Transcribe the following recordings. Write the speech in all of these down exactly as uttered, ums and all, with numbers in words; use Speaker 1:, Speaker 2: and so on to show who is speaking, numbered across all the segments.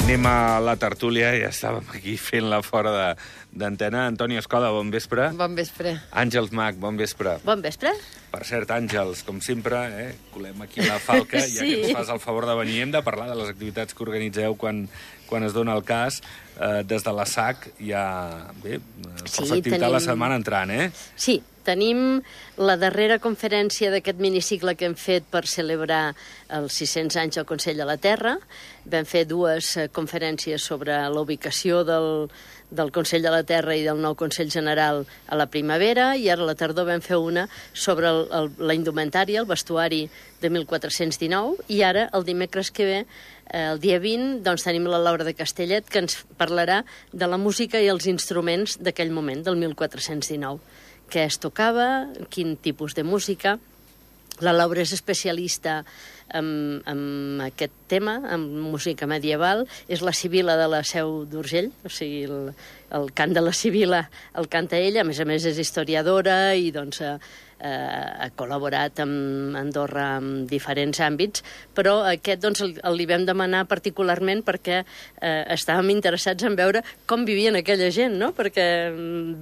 Speaker 1: Anem a la tertúlia, ja estàvem aquí fent-la fora de, d'antena. Antoni Escoda, bon vespre.
Speaker 2: Bon vespre.
Speaker 1: Àngels Mac, bon vespre.
Speaker 2: Bon vespre.
Speaker 1: Per cert, Àngels, com sempre, eh, colem aquí la falca, sí. Ja que ens fas el favor de venir. Hem de parlar de les activitats que organitzeu quan, quan es dona el cas. Eh, des de la S A C hi ha bé,
Speaker 2: sí,
Speaker 1: força activitat tenim... la setmana entrant, eh?
Speaker 2: Sí, tenim la darrera conferència d'aquest minicicle que hem fet per celebrar els sis-cents anys del Consell de la Terra. Vam fer dues conferències sobre la ubicació del, del Consell de la Terra i del nou Consell General a la primavera, i ara a la tardor vam fer una sobre el, el, la indumentària, el vestuari de mil quatre-cents dinou, i ara, el dimecres que ve, el dia vint, doncs, tenim la Laura de Castellet, que ens parlarà de la música i els instruments d'aquell moment, del mil quatre-cents dinou. Què es tocava, quin tipus de música. La Laura és especialista en, en aquest tema, en música medieval. És la Sibila de la Seu d'Urgell, o sigui, el, el cant de la Sibila el canta ella. A més a més, és historiadora i, doncs, eh, ha col·laborat amb Andorra en diferents àmbits, però aquest, doncs, el, el li vam demanar particularment perquè eh, estàvem interessats en veure com vivien aquella gent, no? Perquè,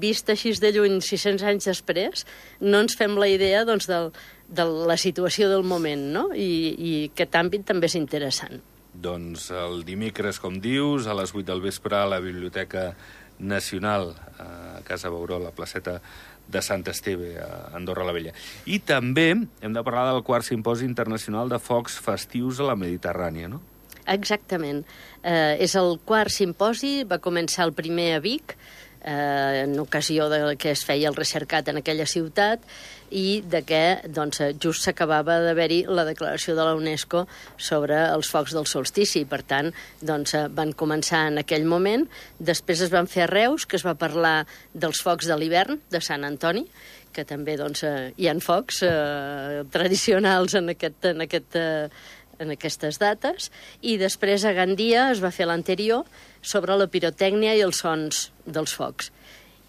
Speaker 2: vist així de lluny, sis-cents anys després, no ens fem la idea, doncs, del, de la situació del moment, no? I, i aquest àmbit també és interessant.
Speaker 1: Doncs el dimecres, com dius, a les vuit del vespre a la Biblioteca Nacional, a Casa Bauró, a la placeta de Sant Esteve, a Andorra la Vella. I també hem de parlar del quart simposi internacional de focs festius a la Mediterrània, no?
Speaker 2: Exactament. Eh, és el quart simposi, va començar el primer a Vic, eh, en ocasió de que es feia el recercat en aquella ciutat, i de què, doncs, just s'acabava d'haver-hi la declaració de la UNESCO sobre els focs del solstici. Per tant, doncs, van començar en aquell moment. Després es van fer a Reus, que es va parlar dels focs de l'hivern, de Sant Antoni, que també, doncs, hi ha focs eh, tradicionals en, aquest, en, aquest, eh, en aquestes dates. I després a Gandia es va fer l'anterior sobre la pirotècnia i els sons dels focs.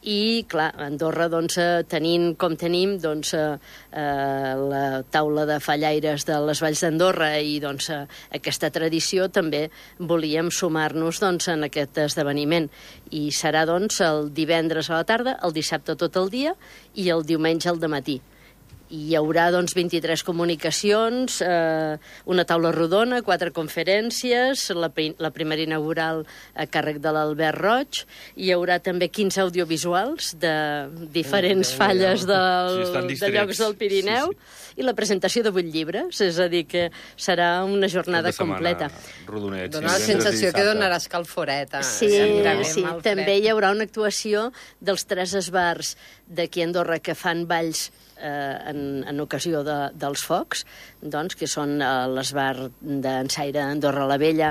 Speaker 2: I, clar, a Andorra, doncs, tenint com tenim, doncs, eh, la taula de fallaires de les Valls d'Andorra i, doncs, eh, aquesta tradició, també volíem sumar-nos, doncs, en aquest esdeveniment. I serà, doncs, el divendres a la tarda, el dissabte tot el dia i el diumenge al dematí. I hi haurà, doncs, vint-i-tres comunicacions, eh, una taula rodona, quatre conferències, la, la primera inaugural a càrrec de l'Albert Roig. Hi haurà també quinze audiovisuals de diferents oh, falles del, sí, de llocs del Pirineu, sí, sí. I la presentació de vuit llibres, és a dir, que serà una jornada completa.
Speaker 3: Rodonet, Dóna sí, la sensació que donarà escalforeta.
Speaker 2: Sí, sí. També hi haurà una actuació dels tres esbars d'aquí a Andorra que fan balls Eh, en, en ocasió de, dels focs, doncs, que són eh, l'esbar d'Ensaire Andorra la Vella,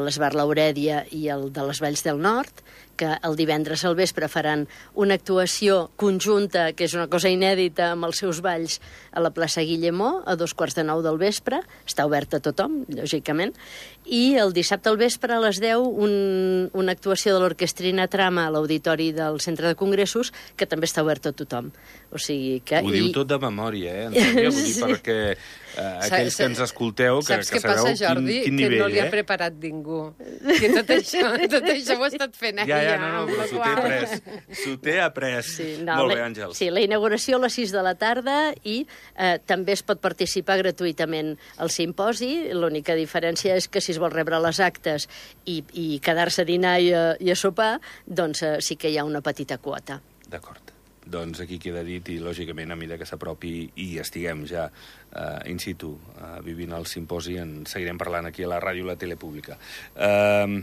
Speaker 2: l'esbar Laurèdia i el de les Valls del Nord, que el divendres al vespre faran una actuació conjunta, que és una cosa inèdita, amb els seus balls a la plaça Guillemó, a dos quarts de nou del vespre. Està oberta a tothom, lògicament. I el dissabte al vespre, a les deu, un, una actuació de l'Orquestrina Trama a l'Auditori del Centre de Congressos, que també està oberta a tothom. O sigui que...
Speaker 1: Ho diu i... tot de memòria, eh, Antònia? Vull dir, sí. Perquè eh, aquells que ens escolteu, que, que sabeu passa, Jordi, quin, quin nivell, eh?
Speaker 3: Que no li ha preparat ningú. Que tot això, tot això ho ha estat fent ella.
Speaker 1: Ja, ja, no, no, però s'ho té après. S'ho té après. Sí, no, molt bé, Àngels.
Speaker 2: Sí, la inauguració a les sis de la tarda i eh, també es pot participar gratuïtament al simposi. L'única diferència és que si es vol rebre les actes i, i quedar-se a dinar i a, i a sopar, doncs eh, sí que hi ha una petita quota.
Speaker 1: D'acord. Doncs aquí queda dit i, lògicament, a mesura que s'apropi i estiguem ja uh, in situ uh, vivint el simposi, en seguirem parlant aquí a la ràdio i la tele pública. Uh,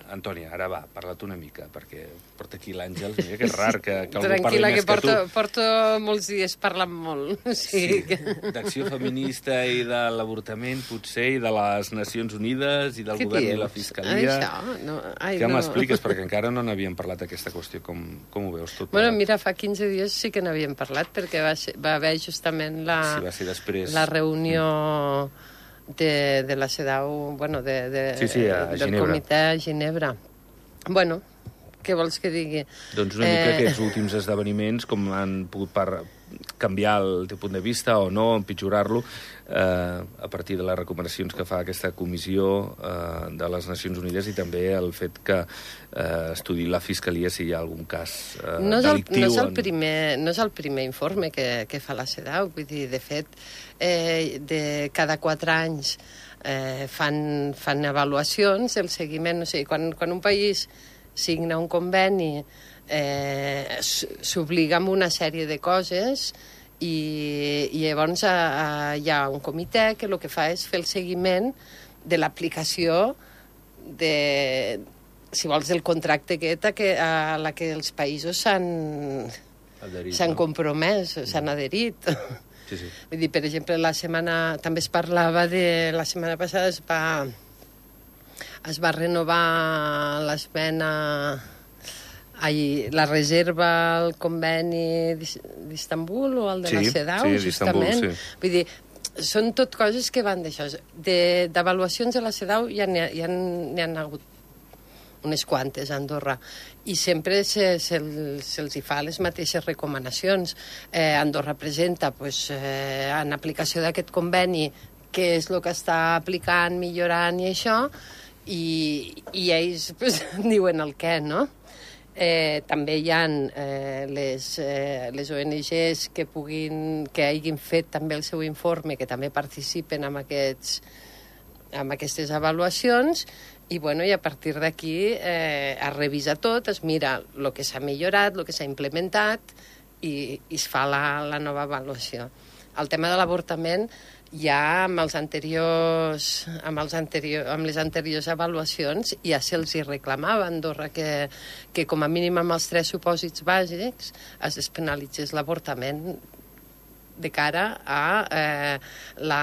Speaker 1: Antònia, ara va, parla't una mica, perquè porta aquí l'Àngels, mira que és rar que, que algú parli més que,
Speaker 3: que porto,
Speaker 1: que tu.
Speaker 3: Porto molts dies parlant molt. Sí,
Speaker 1: sí, d'acció feminista i de l'avortament, potser, i de les Nacions Unides, i del
Speaker 3: Què
Speaker 1: govern
Speaker 3: dius?
Speaker 1: I la Fiscalia.
Speaker 3: Això? No, ai,
Speaker 1: Què
Speaker 3: no.
Speaker 1: m'expliques? Perquè encara no n'havíem parlat d'aquesta qüestió. Com, com ho veus tot?
Speaker 3: Bueno, mira, fa quinze dies sí que n'havíem parlat, perquè va, ser, va haver justament la,
Speaker 1: sí, va ser després.
Speaker 3: la reunió... De, de la CEDAW, bueno, de, de,
Speaker 1: sí, sí, a
Speaker 3: del
Speaker 1: Ginebra.
Speaker 3: comitè a Ginebra. Bueno, què vols que digui?
Speaker 1: Doncs una mica eh... aquests últims esdeveniments, com han pogut per canviar el teu punt de vista o no, empitjorar-lo, eh, a partir de les recomanacions que fa aquesta comissió eh, de les Nacions Unides, i també el fet que eh, estudi la Fiscalia si hi ha algun cas eh,
Speaker 3: no és el,
Speaker 1: delictiu.
Speaker 3: No és, el primer, no és el primer informe que, que fa la CEDAW, vull dir, de fet, eh, de cada quatre anys eh, fan, fan avaluacions, el seguiment, no sé, quan, quan un país signa un conveni, eh, s'obliga amb una sèrie de coses i, i llavors a, a, hi ha un comitè que el que fa és fer el seguiment de l'aplicació de, si vols, del contracte aquest a, que, a la que els països s'han s'han no? compromès, s'han adherit.
Speaker 1: Sí, sí.
Speaker 3: Vull dir, per exemple, la setmana també es parlava de... La setmana passada es va es va renovar l'esmena, ai, la reserva al conveni d'Istanbul o el de
Speaker 1: sí,
Speaker 3: la CEDAW,
Speaker 1: sí,
Speaker 3: justament.
Speaker 1: Sí.
Speaker 3: Vull dir, són tot coses que van d'això. D'avaluacions de, de la CEDAW ja n'hi ha, ja n'hi ha hagut unes quantes a Andorra, i sempre se'ls se, se hi fa les mateixes recomanacions. Eh, Andorra presenta, pues, eh, en aplicació d'aquest conveni, què és el que està aplicant, millorant i això, i, i ells pues, diuen el què, no? Eh, també hi ha eh, les, eh, les O N Ges que puguin, que hagin fet també el seu informe, que també participen en, aquests, en aquestes avaluacions, i, bueno, i a partir d'aquí eh, es revisa tot, es mira el que s'ha millorat, el que s'ha implementat, i, i es fa la, la nova avaluació. El tema de l'avortament, ja amb, els anteriors, amb, els anterior, amb les anteriors avaluacions ja se'ls hi reclamava a Andorra que, que com a mínim amb els tres supòsits bàsics es despenalitzés l'avortament de cara a, eh, la,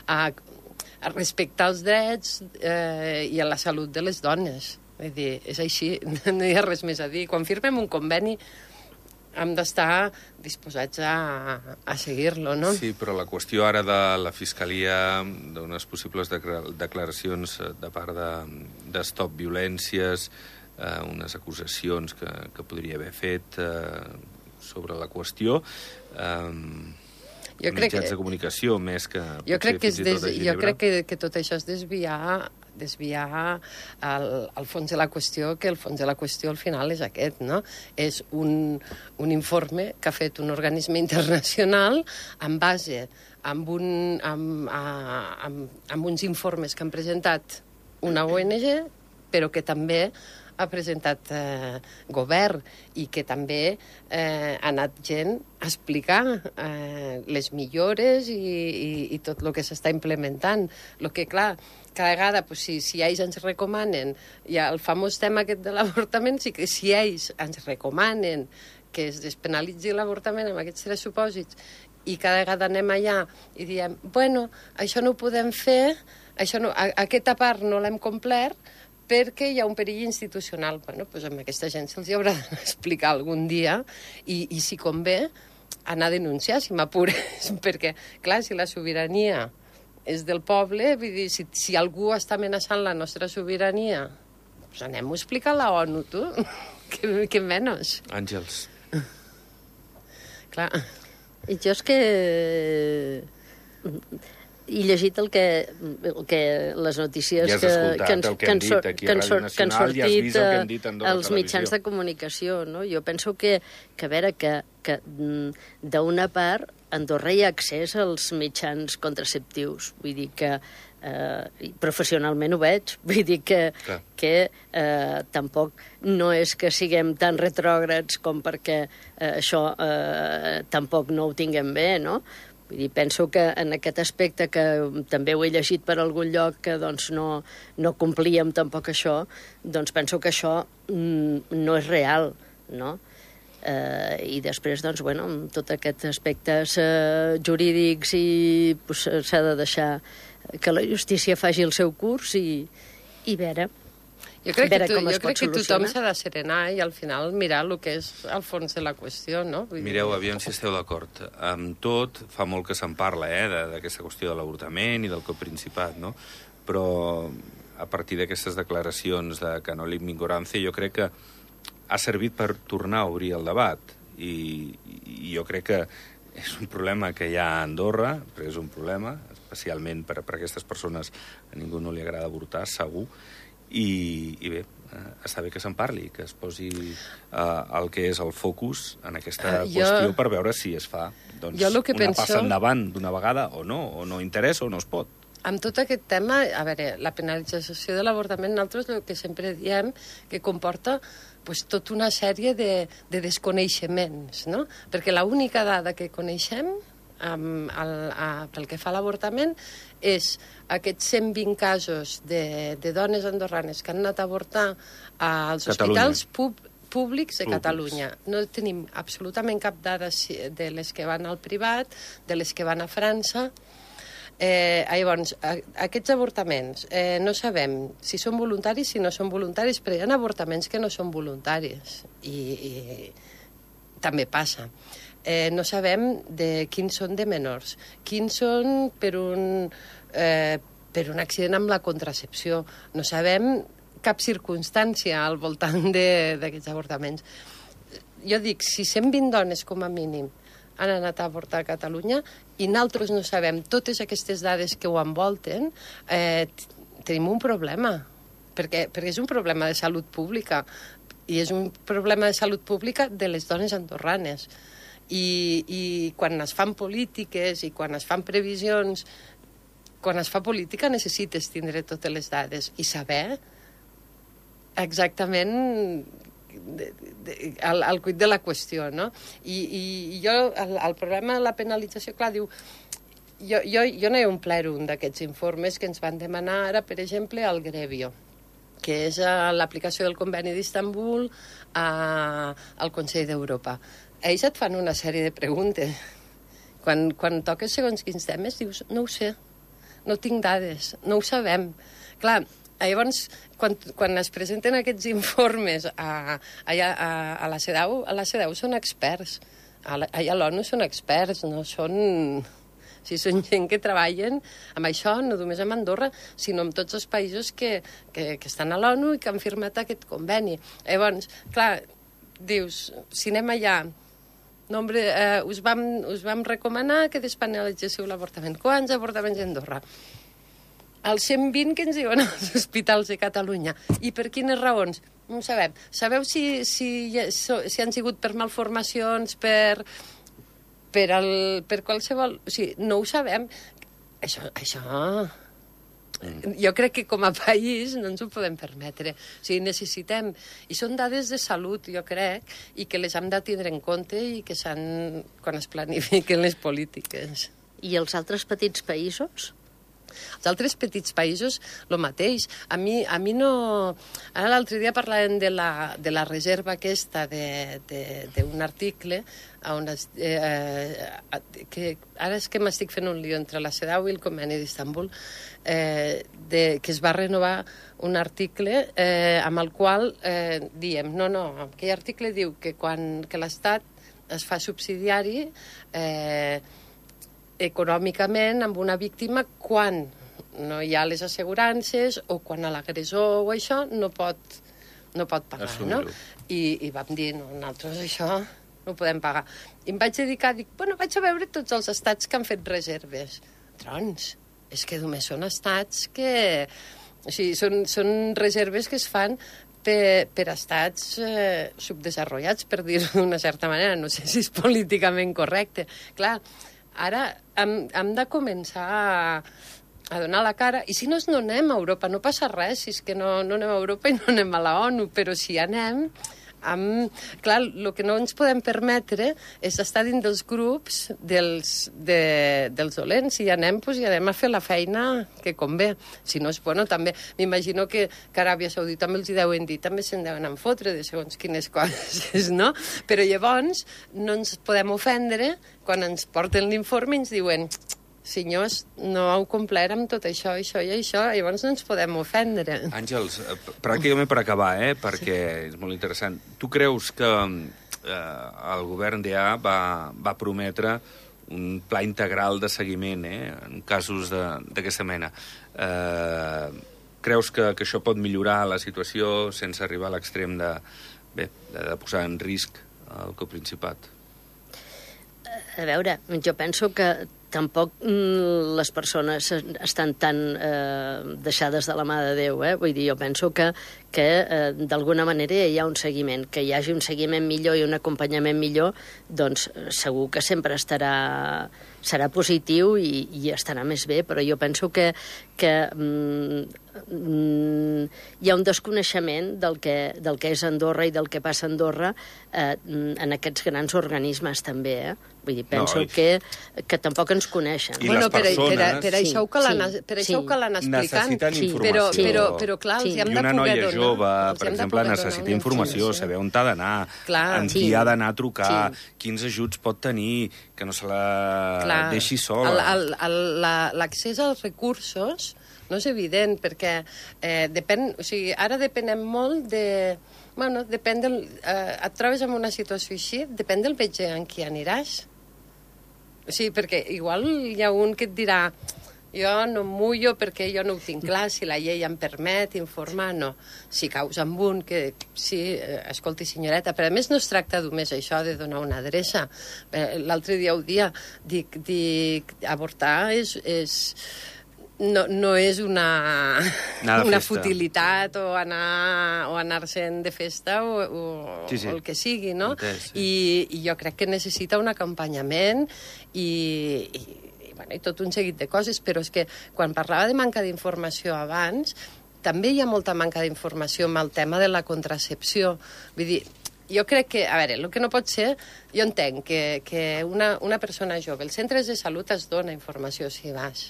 Speaker 3: a, a respectar els drets eh, i a la salut de les dones. Vull dir, és així, no hi ha res més a dir. Quan firmem un conveni hem d'estar disposats a, a seguir-lo, no?
Speaker 1: Sí, però la qüestió ara de la Fiscalia, d'unes possibles declaracions de part de, de Stop Violències, eh, unes acusacions que, que podria haver fet eh, sobre la qüestió, eh,
Speaker 3: jo crec
Speaker 1: mitjans
Speaker 3: que,
Speaker 1: de comunicació, més que...
Speaker 3: Jo crec que, és des, jo crec que, que tot això és desviar desviar el, el fons de la qüestió, que el fons de la qüestió al final és aquest, no? És un, un informe que ha fet un organisme internacional en base amb, un, amb, a, amb, amb uns informes que han presentat una O N G, però que també ha presentat eh, govern, i que també eh, ha anat gent a explicar eh, les millores i, i, i tot el que s'està implementant. El que, clar, cada vegada, pues, si, si ells ens recomanen, hi ha el famós tema aquest de l'avortament, sí que si ells ens recomanen que es despenalitzi l'avortament amb aquests tres supòsits, i cada vegada anem allà i diem, bueno, això no ho podem fer, això no, a, aquesta part no l'hem complert, perquè hi ha un perill institucional. Bueno, doncs amb aquesta gent se'ls haurà d'explicar algun dia, i, i si convé, anar a denunciar, si m'apures, perquè, clar, si la sobirania és del poble, vull dir, si, si algú està amenaçant la nostra sobirania, doncs anem a explicar a la ONU, tu, que, que menys.
Speaker 1: Àngels.
Speaker 3: Clar.
Speaker 2: I jo és que... he llegit el que, el que les notícies
Speaker 1: ja
Speaker 2: que, que, ens,
Speaker 1: que, han dit aquí a Ràdio Nacional,
Speaker 2: que han sortit, ja has
Speaker 1: vist el que han dit a Andorra
Speaker 2: els mitjans de comunicació. No? Jo penso que, que a veure, que, que d'una part Andorra hi ha accés als mitjans contraceptius. Vull dir que eh, professionalment ho veig. Vull dir que, que eh, tampoc no és que siguem tan retrògrads com perquè eh, això eh, tampoc no ho tinguem bé, no? Vull dir, penso que en aquest aspecte, que també ho he llegit per algun lloc, que doncs no, no complíem tampoc això, doncs penso que això mm, no és real, no? Eh, I després, doncs, bueno, amb tots aquests aspectes eh, jurídics i pues, s'ha de deixar que la justícia faci el seu curs i, i veure...
Speaker 3: Jo crec, que, tu, jo crec que tothom s'ha de serenar i al final mirar el que és el fons de la qüestió, no? Vull
Speaker 1: Mireu,
Speaker 3: dir...
Speaker 1: aviam si esteu d'acord. Amb tot, fa molt que se'n parla, eh, d'aquesta qüestió de l'avortament i del Coprincipat, no? Però a partir d'aquestes declaracions de Canolín Mingorance, jo crec que ha servit per tornar a obrir el debat. I, i jo crec que és un problema que hi ha a Andorra, però és un problema, especialment per, per a aquestes persones a ningú no li agrada avortar, segur, i, i bé, eh, està bé que se'n parli, que es posi eh, el que és el focus en aquesta uh, jo... qüestió per veure si es fa doncs, una penso... passa endavant d'una vegada o no, o no interessa o no es pot.
Speaker 3: Amb tot aquest tema, a veure, la penalització de l'avortament, nosaltres el que sempre diem que comporta pues, tota una sèrie de, de desconeixements, no? Perquè l'única dada que coneixem Um, el, a, pel que fa a l'avortament és aquests cent vint casos de, de dones andorranes que han anat a avortar als Catalunya. Hospitals pub, públics de Públics. Catalunya. No tenim absolutament cap dada de les que van al privat, de les que van a França. Eh, llavors, a, aquests avortaments eh, no sabem si són voluntaris, si no són voluntaris, però hi ha avortaments que no són voluntaris i, i també passa. Eh, no sabem de quins són de menors, quins són per un, eh, per un accident amb la contracepció. No sabem cap circumstància al voltant d'aquests avortaments. Jo dic, si cent vint dones com a mínim han anat a avortar a Catalunya i nosaltres no sabem totes aquestes dades que ho envolten, eh, tenim un problema, perquè, perquè és un problema de salut pública i és un problema de salut pública de les dones andorranes. I, i quan es fan polítiques i quan es fan previsions, quan es fa política necessites tindre totes les dades i saber exactament de, de, el, el cuit de la qüestió, no? I, i jo, el, el problema de la penalització, clar, diu, jo, jo, jo no he omplert un d'aquests informes que ens van demanar ara, per exemple, al Grevio, que és l'aplicació del conveni d'Istanbul al Consell d'Europa. Ells et fan una sèrie de preguntes. Quan, quan toques segons quins temes, dius, no ho sé, no tinc dades, no ho sabem. Clar, llavors, quan, quan es presenten aquests informes a, allà, a, a la CEDAW, a la CEDAW són experts, a la, allà a l'ONU són experts, no són... O sigui, són gent que treballen amb això, no només amb Andorra, sinó amb tots els països que, que, que estan a l'ONU i que han firmat aquest conveni. Llavors, clar, dius, si anem allà... No, hombre, eh, us, vam, us vam recomanar que despenalitzéssiu l'avortament. Quants avortaments a Andorra? Els cent vint que ens diuen als hospitals de Catalunya. I per quines raons? No ho sabem. Sabeu si, si, si han sigut per malformacions, per, per, el, per qualsevol... O sigui, no ho sabem. Això... això... Jo crec que com a país no ens ho podem permetre. O sigui, necessitem... I són dades de salut, jo crec, i que les hem de tindre en compte i que s'han... quan es planifiquen les polítiques.
Speaker 2: I els altres petits països?
Speaker 3: Els altres petits països, el mateix. A mi, a mi no... Ara l'altre dia parlàvem de la, de la reserva aquesta d'un article on es, eh, que ara és que m'estic fent un lío entre la CEDAW i el conveni d'Istanbul, eh, de, que es va renovar un article eh, amb el qual eh, diem, no, no, aquell article diu que quan que l'Estat es fa subsidiari eh, econòmicament amb una víctima quan no hi ha les assegurances o quan a l'agressor o això no pot, no pot pagar, no? I, i vam dir, no, nosaltres això no ho podem pagar. I em vaig dedicar, dic, bueno, vaig a veure tots els estats que han fet reserves. Trons, és que només són estats que... O sigui, són, són reserves que es fan per, per estats eh, subdesenvolupats, per dir-ho d'una certa manera. No sé si és políticament correcte. Clar, ara hem, hem de començar a, a donar la cara, i si no, no anem a Europa, no passa res, si és que no, no anem a Europa i no anem a la ONU, però si anem... Amb... Clar, el que no ens podem permetre és estar dins dels grups dels, de, dels dolents. Si hi anem, doncs hi anem a fer la feina que convé. Si no, és bueno, també m'imagino que, que Aràbia Saudita també els hi deuen dir, també se'n deuen en fotre de segons quines coses, no? Però llavors no ens podem ofendre quan ens porten l'informe i ens diuen... senyors, no heu complert amb tot això, això i això, llavors no ens podem ofendre.
Speaker 1: Àngels, pràcticament per acabar, eh, perquè sí. És molt interessant. Tu creus que eh, el govern d'E A va, va prometre un pla integral de seguiment eh, en casos d'aquesta mena? Eh, creus que, que això pot millorar la situació sense arribar a l'extrem de, bé, de, de posar en risc el coprincipat?
Speaker 2: A veure, jo penso que tampoc mm, les persones estan tan eh, deixades de la mà de Déu, eh? Vull dir, jo penso que, que eh, d'alguna manera hi ha un seguiment, que hi hagi un seguiment millor i un acompanyament millor, doncs segur que sempre estarà, serà positiu i, i estarà més bé, però jo penso que, que mm, mm, hi ha un desconeixement del que, del que és Andorra i del que passa a Andorra eh, en aquests grans organismes també, eh? Vull dir, penso
Speaker 1: no, i...
Speaker 2: que, que tampoc ens coneixen.
Speaker 1: I
Speaker 3: bueno,
Speaker 1: les persones...
Speaker 3: Per, per, per
Speaker 2: sí,
Speaker 3: això que l'han
Speaker 2: sí,
Speaker 3: per això
Speaker 2: sí.
Speaker 3: que l'han explicant.
Speaker 1: Necessiten
Speaker 2: sí,
Speaker 1: informació.
Speaker 3: Però,
Speaker 2: Sí.
Speaker 3: però, però clar,
Speaker 2: Sí.
Speaker 3: els hi hem
Speaker 1: I
Speaker 3: de
Speaker 1: una
Speaker 3: poder
Speaker 1: noia
Speaker 3: donar.
Speaker 1: jove,
Speaker 3: els
Speaker 1: per
Speaker 3: hem de
Speaker 1: exemple,
Speaker 3: poder donar
Speaker 1: necessita
Speaker 3: una
Speaker 1: informació, saber on ha d'anar,
Speaker 3: Clar.
Speaker 1: amb
Speaker 2: Sí.
Speaker 1: qui ha d'anar a trucar,
Speaker 2: Sí.
Speaker 1: quins ajuts pot tenir, que no se la
Speaker 3: Clar.
Speaker 1: deixi sola.
Speaker 3: El- el- el- la- L'accés als recursos no és evident, perquè eh, depèn, o sigui, ara depenem molt de... Bueno, depèn del, eh, et trobes en una situació així, depèn del metge en qui aniràs. O sigui, perquè igual hi ha un que et dirà jo no em mullo perquè jo no ho tinc clar, si la llei em permet informar, no. Si caus amb un que, sí, eh, escolti senyoreta, però a més no es tracta només això de donar una adreça. Eh, L'altre dia ho dia, dic, dic avortar és... és no, no és una, una futilitat o anar o anar-se'n de festa o, o,
Speaker 1: sí, sí.
Speaker 3: o el que sigui, no?
Speaker 1: Entès, sí.
Speaker 3: I, I jo crec que necessita un acompanyament i, i, i, bueno, i tot un seguit de coses, però és que quan parlava de manca d'informació abans, també hi ha molta manca d'informació amb el tema de la contracepció. Vull dir, jo crec que, a veure, el que no pot ser, jo entenc que, que una, una persona jove, els centres de salut es dona informació si vas.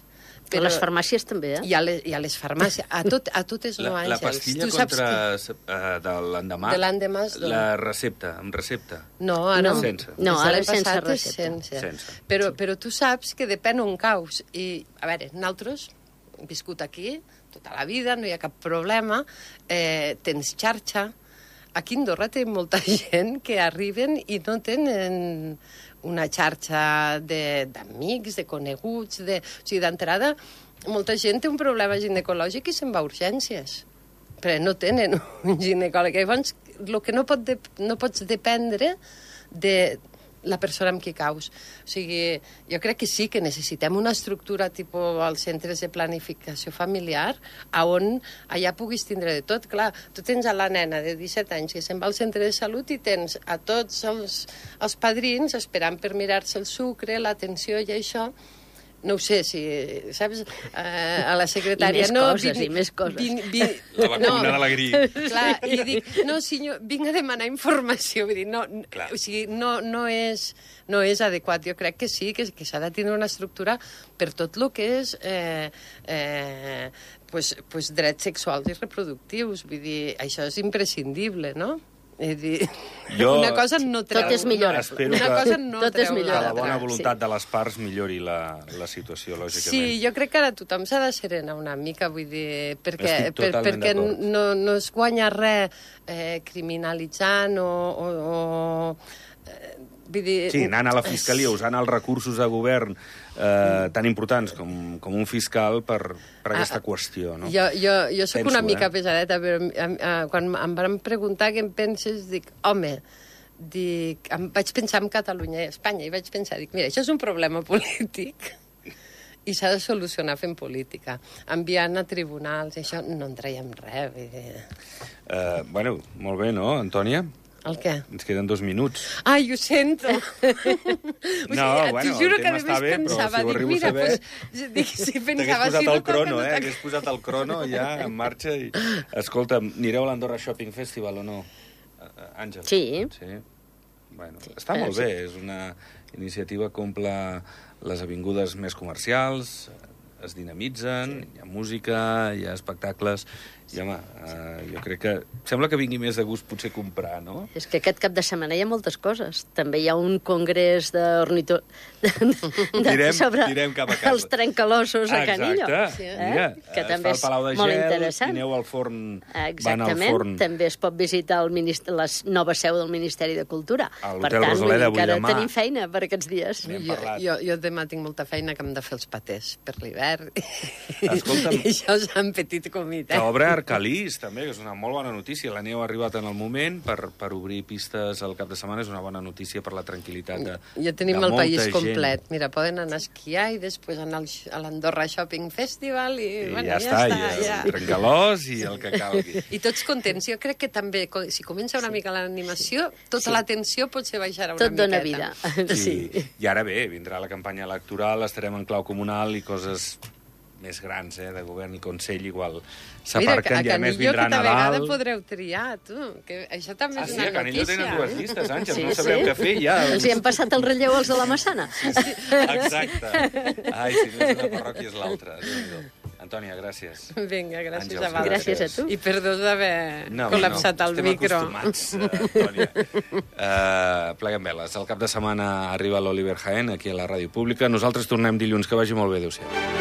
Speaker 2: Però... A les farmàcies també, eh?
Speaker 3: I a les, i a les farmàcies, a, tot, a totes no,
Speaker 1: la,
Speaker 3: Àngels.
Speaker 1: la pastilla
Speaker 3: tu saps
Speaker 1: contra
Speaker 3: que...
Speaker 1: uh, de l'endemà,
Speaker 3: De l'endemà es dona.
Speaker 1: la recepta, amb recepta.
Speaker 3: No, ara
Speaker 2: No.
Speaker 1: Sense.
Speaker 2: No,
Speaker 3: Des de
Speaker 2: ara
Speaker 3: l'any
Speaker 2: sense
Speaker 3: passat és
Speaker 2: recepta.
Speaker 3: Sense.
Speaker 1: Sense.
Speaker 3: Però, però tu saps que depèn on caus. I, a veure, nosaltres hem viscut aquí tota la vida, no hi ha cap problema, eh, tens xarxa. Aquí a Andorra té molta gent que arriben i no tenen una xarxa d'amics, de, de coneguts, de... O sigui, d'entrada, molta gent té un problema ginecològic i se'n va a urgències, però no tenen un ginecòleg. Llavors, el que no, pot de, no pots dependre de la persona amb qui caus. O sigui, jo crec que sí que necessitem una estructura tipus als centres de planificació familiar on allà puguis tindre de tot. Clar, tu tens a la nena de disset anys que se'n va al centre de salut i tens a tots els, els padrins esperant per mirar-se el sucre, l'atenció i això. No ho sé, si, saps, eh, a la secretària...
Speaker 2: I més
Speaker 3: no,
Speaker 2: coses,
Speaker 3: vin,
Speaker 2: i més coses.
Speaker 3: Vin, vin,
Speaker 1: La vacuna
Speaker 3: no,
Speaker 1: de la grip.
Speaker 3: Clar, i dic, no, senyor, vinc a demanar informació. Vull dir, no,
Speaker 1: Clar.
Speaker 3: o sigui, no, no, és, no és adequat. Jo crec que sí, que, que s'ha de tenir una estructura per tot el que és eh, eh, pues, pues drets sexuals i reproductius. Vull dir, això és imprescindible, no? És dir,
Speaker 1: Jo-
Speaker 3: una cosa no treu...
Speaker 2: Tot és millorable.
Speaker 1: Espero
Speaker 3: Una
Speaker 1: que-
Speaker 3: cosa no
Speaker 2: Tot és
Speaker 3: treu
Speaker 1: Que
Speaker 2: millorable.
Speaker 1: la
Speaker 3: l'altra.
Speaker 1: bona voluntat
Speaker 2: Sí.
Speaker 1: de les parts millori la, la situació, lògicament.
Speaker 3: Sí, jo crec que ara tothom s'ha de serenar una mica, vull dir, perquè,
Speaker 1: Estic
Speaker 3: per,
Speaker 1: totalment
Speaker 3: perquè
Speaker 1: d'acord.
Speaker 3: no, no es guanya res eh, criminalitzant o... o, o eh, vull dir...
Speaker 1: Sí, anant a la fiscalia, usant els recursos de govern eh, tan importants com, com un fiscal per, per aquesta
Speaker 3: Ah,
Speaker 1: qüestió, no?
Speaker 3: Jo, jo, jo sóc
Speaker 1: Penso,
Speaker 3: una mica
Speaker 1: eh?
Speaker 3: pesadeta, però a, a, quan em van preguntar què em penses, dic, home, dic, em vaig pensar en Catalunya i Espanya, i vaig pensar, dic, mira, això és un problema polític i s'ha de solucionar fent política. Enviant a tribunals, això no en traiem res. Vull dir...
Speaker 1: Eh, bueno, molt bé, no, Antònia?
Speaker 3: El què?
Speaker 1: Ens queden dos minuts.
Speaker 3: Ai, ho sento. o sigui,
Speaker 1: No,
Speaker 3: et
Speaker 1: bueno,
Speaker 3: juro
Speaker 1: el
Speaker 3: que
Speaker 1: tema
Speaker 3: a
Speaker 1: està
Speaker 3: més
Speaker 1: bé, però
Speaker 3: pensava,
Speaker 1: si ho
Speaker 3: dic,
Speaker 1: arribo a
Speaker 3: mira,
Speaker 1: saber-
Speaker 3: pues, dic, si
Speaker 1: T'hagués
Speaker 3: pensava,
Speaker 1: posat
Speaker 3: si no
Speaker 1: el crono,
Speaker 3: toca,
Speaker 1: eh?
Speaker 3: no
Speaker 1: Hagués posat el crono ja en marxa i... Escolta, anireu a l'Andorra Shopping Festival o no? Eh, Àngel?
Speaker 2: Sí.
Speaker 1: Sí. Bueno, sí. Està
Speaker 2: Eh,
Speaker 1: molt
Speaker 2: sí.
Speaker 1: bé, és una iniciativa que omple les avingudes més comercials, es dinamitzen, hi ha música, hi ha espectacles, I, home, uh, jo crec que... Sembla que vingui més de gust potser comprar, no?
Speaker 2: És que aquest cap de setmana hi ha moltes coses. També hi ha un congrés d'ornito... De, de,
Speaker 1: Tirem-
Speaker 2: sobre
Speaker 1: tirem cap a casa.
Speaker 2: els trencalossos a Canillo.
Speaker 1: Exacte.
Speaker 2: Eh?
Speaker 1: Mira,
Speaker 2: que
Speaker 1: es
Speaker 2: també
Speaker 1: fa el Palau de
Speaker 2: és molt
Speaker 1: Gel
Speaker 2: interessant.
Speaker 1: i aneu al forn, van al
Speaker 2: Exactament.
Speaker 1: forn.
Speaker 2: També es pot visitar el ministeri, la nova seu del Ministeri de Cultura.
Speaker 1: A
Speaker 2: Per
Speaker 1: l'Hotel
Speaker 2: tant, vull
Speaker 1: Rosaleda
Speaker 2: dir
Speaker 1: avui
Speaker 2: que ara
Speaker 1: demà.
Speaker 2: tenim feina per aquests dies.
Speaker 1: N'hem
Speaker 3: Jo,
Speaker 1: parlat.
Speaker 3: jo, jo demà tinc molta feina que hem de fer els patès per l'hivern.
Speaker 1: Escolta'm.
Speaker 3: I això és un petit comitè.
Speaker 1: Que obre Arcalís, també, que és una molt bona notícia. La neu ha arribat en el moment per, per obrir pistes al cap de setmana. És una bona notícia per la tranquil·litat de,
Speaker 3: Ja tenim
Speaker 1: de
Speaker 3: el
Speaker 1: molta
Speaker 3: país
Speaker 1: gent.
Speaker 3: complet. Mira, poden anar a esquiar i després anar al, a l'Andorra Shopping Festival i,
Speaker 1: I
Speaker 3: bueno,
Speaker 1: ja,
Speaker 3: ja
Speaker 1: està,
Speaker 3: està.
Speaker 1: ja,
Speaker 3: Ja.
Speaker 1: trencalós i el que calgui.
Speaker 3: I tots contents. Jo crec que també, co- si comença una mica l'animació, tota
Speaker 2: Sí.
Speaker 3: la tensió potser baixarà una
Speaker 2: Tot
Speaker 3: miqueta.
Speaker 2: dona vida. Sí.
Speaker 1: I, I ara bé, vindrà la campanya electoral, estarem en clau comunal i coses més grans, eh, de govern i consell, igual s'aparquen i a més vindrà
Speaker 3: aquesta vegada
Speaker 1: Nadal.
Speaker 3: podreu triar, tu, que això també
Speaker 1: Ah,
Speaker 3: és
Speaker 1: sí,
Speaker 3: una
Speaker 1: a Canillo
Speaker 3: notícia.
Speaker 1: tenen dues llistes, Àngels,
Speaker 2: Sí,
Speaker 1: no sabreu
Speaker 2: sí.
Speaker 1: què fer ja.
Speaker 2: Els hi hem passat el relleu als de la Massana.
Speaker 1: Exacte. Ai, si no és una parròquia és l'altra. Déu-n'hi-do. Antònia, gràcies.
Speaker 3: Vinga, gràcies
Speaker 1: Àngels,
Speaker 3: a vosaltres.
Speaker 2: gràcies a tu.
Speaker 3: I perdó d'haver
Speaker 1: No,
Speaker 3: col·lapsat
Speaker 1: no,
Speaker 3: el
Speaker 1: estem
Speaker 3: micro.
Speaker 1: acostumats, uh, Antònia. Uh, pleguem veles. El cap de setmana arriba l'Oliver Jaén, aquí a la Ràdio Pública. Nosaltres tornem dilluns. Que vagi molt bé. Adéu-siau.